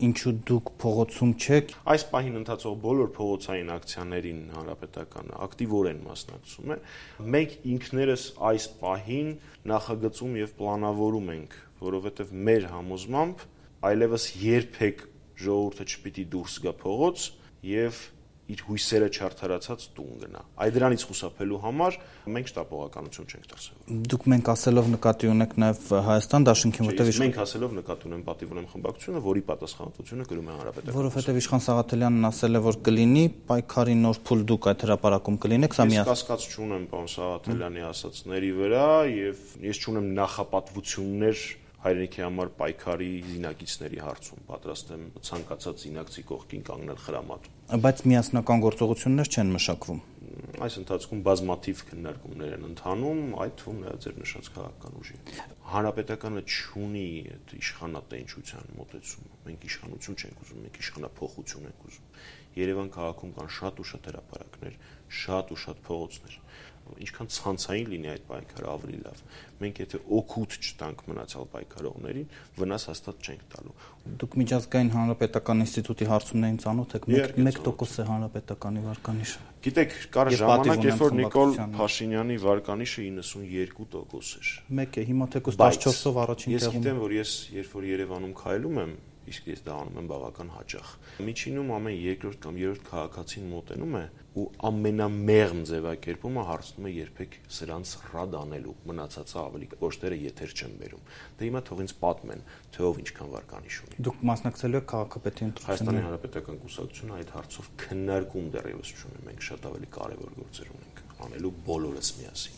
ինչու դուք փողոցում չեք։ Այս պահին ընթացող բոլոր փողոցային ակցիաներին հանրապետականը ակտիվորեն մասնակցում է։ Մենք ինքներս այս պահին նախագծում եւ պլանավորում ենք, որովհետեւ մեր համոզմամբ այլևս երբեք ժողովուրդը չպիտի դուրս գա փողոց եւ իր հույսերը չարդարացած տուն գնա։ Այդ դրանից խուսափելու համար մենք շտապողականություն չենք դրսևորում։ Դուք մենք ասելով նկատի ունեք նաև Հայաստան դաշինքին, որտեղ մենք ասելով նկատի ունեմ պատիվ ունեմ խմբակցությունը, որի պատասխանատվությունը կրում է հանրապետականը։ Որովհետև Իշխան Սաղաթելյանն ասել է, որ կլինի պայքարի նոր փուլ, դուք այդ հրապարակում կլինեք, սա Ես կասկած չունեմ պարոն Սաղաթելյանի ասածների վրա եւ ես չունեմ նախապատվություններ հայրենիքի համար պայքարի զինակիցների հարցում, պատրաստ եմ ցանկացած զինակցի կողքին կանգնել խրամատում։ Բայց միասնական գործողություններ չեն մշակվում։ Այս ընթացքում բազմաթիվ քննարկումներ են ընթանում, այդ թվում նաև ձեր նշած քաղաքական ուժի։ Հանրապետականը չունի այդ իշխանատենչության մոտեցումը։ Մենք իշխանություն չենք ուզում, մենք իշխանափոխություն ենք ուզում։ Երևան քաղաքում կան շատ ու շատ հրապարակներ, շատ ու շատ փողոցներ։ Ինչքան ցանցային լինի այդ պայքարը ավելի լավ։ Մենք եթե օգուտ չտանք մնացյալ պայքարողներին, վնաս հաստատ չենք տալու։ Դուք միջազգային հանրապետական ինստիտուտի հարցումներին ծանոթ եք, 1% է հանրապետականի վարկանիշը։ Գիտեք, կար ժամանակ, երբ որ Նիկոլ Փաշինյանի վարկանիշը 92% էր։ Մեկ է, հիմա թեկուզ 14-ով առաջին տեղում։ Ես գիտեմ, որ ես երբ որ Երևանում քայլում եմ, իսկ ես դա անում եմ բավական հաճախ։ Միջինում ամեն երկրորդ կամ երրորդ քաղաքացին մոտենում է ու ամենամեղմ ձևակերպումը հարցնում է երբեք սրանց ռադ անելու, մնացածը ավելի կոշտերը եթեր չեն բերում։ Դե հիմա թող ինձ պատմեն, թե ով ինչքան վարկանիշ ունի։ Դուք մասնակցելու եք քաղաքապետի ընտրություններին։ Հայաստանի Հանրապետական Կուսակցությունը այդ հարցով քննարկում դեռևս չունի, մենք շատ ավելի կարևոր գործեր ունենք անելու բոլորս միասին։